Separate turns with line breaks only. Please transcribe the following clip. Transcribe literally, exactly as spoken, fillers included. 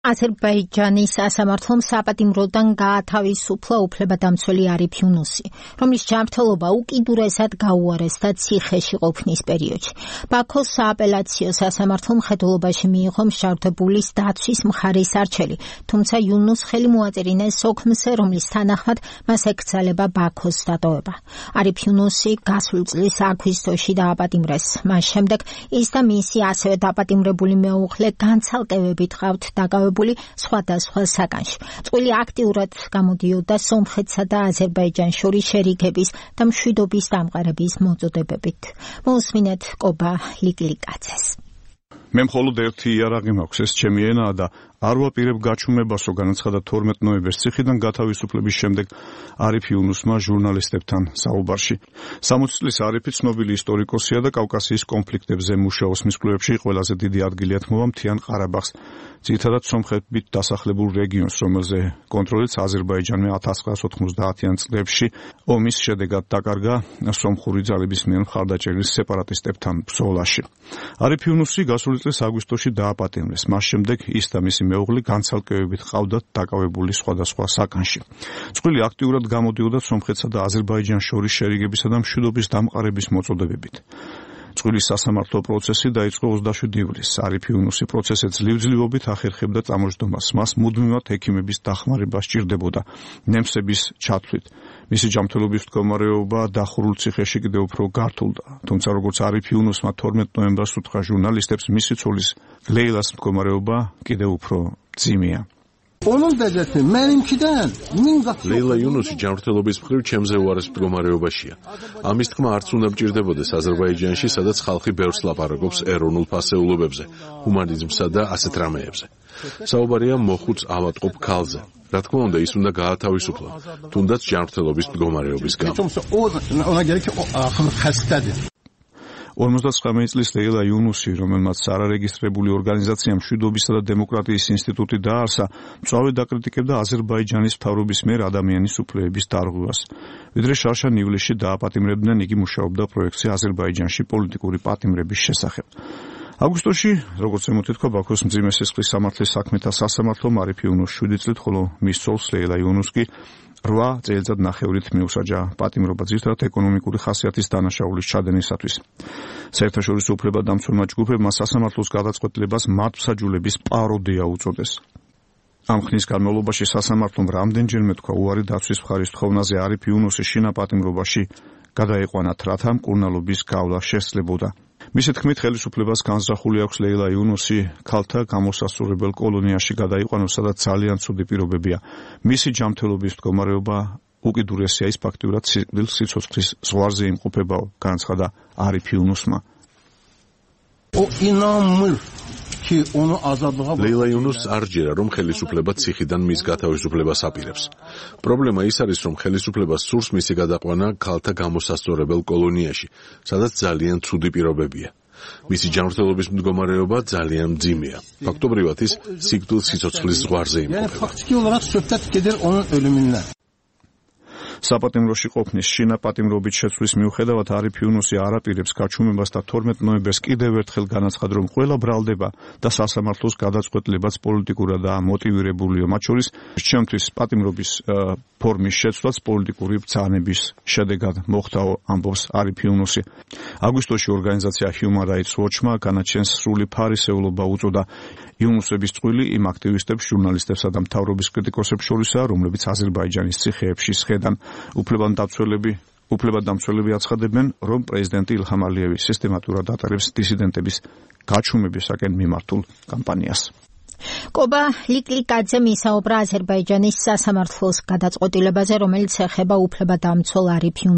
აზერბაიჯანის სასამართლომ საპატიმროდან გაათავისუფლა უფლებადამცველი არიფ იუნუსი, რომლის ჯანმრთელობა უკიდურესად გაუარესდა ციხეში ყოფნის პერიოდში. ბაქოს სააპელაციო სასამართლომ მხედველობაში მიიღო მსჯავრდებულის დაცვის მხარის არჩევი, თუმცა იუნუს ხელი მოაწერინეს სოქმზე, რომლის თანახმად მას ეკრძალება ბაქოს დატოვება. არიფ იუნუსი გასული წლის აგვისტოში დააპატიმრეს. მას შემდეგ ის და მისი ასევე დაპატიმრებული მეუღლე განცალკევებით ყავთ დაკავებული სხვადასხვა საგანში. წყვილი აქტიურად გამოდიოდა სომხეთსა და აზერბაიჯანს შორის შერიგების და მშვიდობის დამყარების მოწოდებებით. მოусმინეთ კობა ლიკლიკაძეს.
მე მხოლოდ ერთი იარაღი მაქვს, ეს ჩემი ენაა და არ ვაპირებ გაჩუმებასო, განაცხადა თორმეტ ნოემბერს ციხიდან გათავისუფლების შემდეგ არიფ იუნუსმა ჟურნალისტებთან საუბარში. სამოცი წლის არიფი ცნობილი ისტორიკოსია და კავკასიის კონფლიქტებზე მუშაობს. მის კვლევებში ყველაზე დიდი ადგილი ეთმობა მთიან ყარაბაღს, ძირითადად სომხებით დასახლებულ რეგიონს, რომელზე კონტროლიც აზერბაიჯანმა ათას ცხრაასი ოთხმოცდაათიან წლებში ომის შედეგად დაკარგა სომხური ძალების მიერ მხარდაჭერილ სეპარატისტებთან ბრძოლაში. არიფ იუნუსი გასული წლის აგვისტოში დააპატიმრეს. მას შემდეგ ის და მისი მეუღლე განცალკევებით ყავდათ დაკავებული სხვადასხვა საგანში. წყვილი აქტიურად გამოდიოდა სომხეთსა და აზერბაიჯანს შორის შერიგებისა და მშვიდობის დამყარების მოწოდებებით. წყვილის სასამართლო პროცესი დაიწყო ოცდაშვიდი ივლისს. არიფ იუნუსი პროცესზე ძლივ-ძლივობით ახერხებდა წამოჯდომას. მას მუდმივად ექიმების დახმარება სჭირდებოდა ნემსების ჩათვლით. მისი ჯანმრთელობის მდგომარეობა დახურულ ციხეში კიდევ უფრო გართულდა. თუმცა როგორც არიფ იუნუსმა თორმეტ ნოემბერს უთხრა ჟურნალისტებს, მისი ცოლის ლეილას მდგომარეობა კიდევ უფრო მძიმეა.
ლეილა იუნუსი ჯანმრთელობის მხრივ ჩემზე უარეს მდგომარეობაშია. ამის თქმა არც უნდა მჭირდებოდეს აზერბაიჯანში, სადაც ხალხი ბევრს ლაპარაკობს ეროვნულ ფასეულობებზე, ჰუმანიზმსა და ასეთ რამეებზე. საუბარია მოხუც ავადმყოფ ქალზე. რა თქმა უნდა, ის უნდა გაათავისუფლო, თუნდაც ჯანმრთელობის მდგომარეობის გამო.
ორმოცდაცხრამეტი წლის ლეილა იუნუსი, რომელმაც არარეგისტრირებული ორგანიზაცია მშვიდობისა და დემოკრატიის ინსტიტუტი დააარსა, მწვავედ აკრიტიკებდა აზერბაიჯანის მთავრობის მიერ ადამიანის უფლებების დარღვევას. ვიდრე შარშან ივლისში დააპატიმრებდნენ, იგი მუშაობდა პროექტზე აზერბაიჯანში პოლიტიკური პატიმრების შესახებ. აგვისტოში, როგორც ემოთითქვა, ბაქოს მძიმე სისხლის სამართლის საქმეთა სასამართლომ არიფ იუნუსს შვიდი წლით, ხოლო მის ცოლს ლეილა იუნუსს კი რვა წელიწად ნახევრით მიუსაჯა პატიმრობა, ძირითადად ეკონომიკური ხასიათის დანაშაულის ჩადენისათვის. საერთაშორისო უფლებადამცველმა ჯგუფებმა სასამართლოს გადაწყვეტილებას მართლმსაჯულების პაროდია უწოდეს. ამ ხნის განმავლობაში სასამართლომ რამდენჯერმე თქვა უარი დაცვის მხარის თხოვნაზე არიფ იუნუსის შინაპატიმრობაში გადაიყვანათ, რათა მკურნალობის გავლა შესწლებოდა. მისი თქმით, ხელისუფლებას განზრახული აქვს ლეილა იუნუსი ქალთა გამოსასწორებელ კოლონიაში გადაიყვანოს, სადაც ძალიან ცუდი პირობებია. მისი ჯანმრთელობის მდგომარეობა უკიდურესია, ის ფაქტიურად სიკვდილ სიცოცხლის ზღვარზე იმყოფებაო, განაცხადა არიფ იუნუსმა.
ლეილა იუნუსს არ ჯერა, რომ ხელისუფლება ციხიდან მის გათავისუფლებას აპირებს. პრობლემა ის არის, რომ ხელისუფლებას სურს მისი გადაყვანა ქალთა გამოსასწორებელ კოლონიაში, სადაც ძალიან ცუდი პირობებია. მისი ჯანმრთელობის მდგომარეობა ძალიან მძიმეა. ფაქტობრივად ის სიკვდილ სიცოცხლის ზღვარზე იმყოფება.
საპატიმროში ყოფნის შინაპატიმრობით შეცვლის მიუხედავად არიფ იუნუსი არ აპირებს გაჩუმებას და თორმეტ ნოემბერს კიდევ ერთხელ განაცხადა, რომ ყველა ბრალდება და სასამართლოს გადაწყვეტილებაც პოლიტიკურადაა მოტივირებულიო. მათ შორის ჩემთვის პატიმრობის ფორმის შეცვლაც პოლიტიკური ბრძანების შედეგად მოხდაო, ამბობს არიფ იუნუსი. აგვისტოში ორგანიზაცია Human Rights Watch-მა განაჩენს სრული ფარისეულობა უწოდა. იუნუსების წყვილი იმ აქტივისტებს, ჟურნალისტებსა და მთავრობის კრიტიკოსებს შორისაა, რომლებიც აზერბაიჯანის ციხეებში სხედან. უფლებადამცველები უფლებადამცველები აცხადებენ, რომ პრეზიდენტი ილჰამ ალიევი სისტემატურად ატარებს დისიდენტების გაჩუმებისაკენ მიმართულ კამპანიას.
კობა ლიკლიკაძე მისაუბრა აზერბაიჯანის სასამართლოს გადაწყვეტილებაზე, რომელიც ეხება უფლებადამცველ არიფ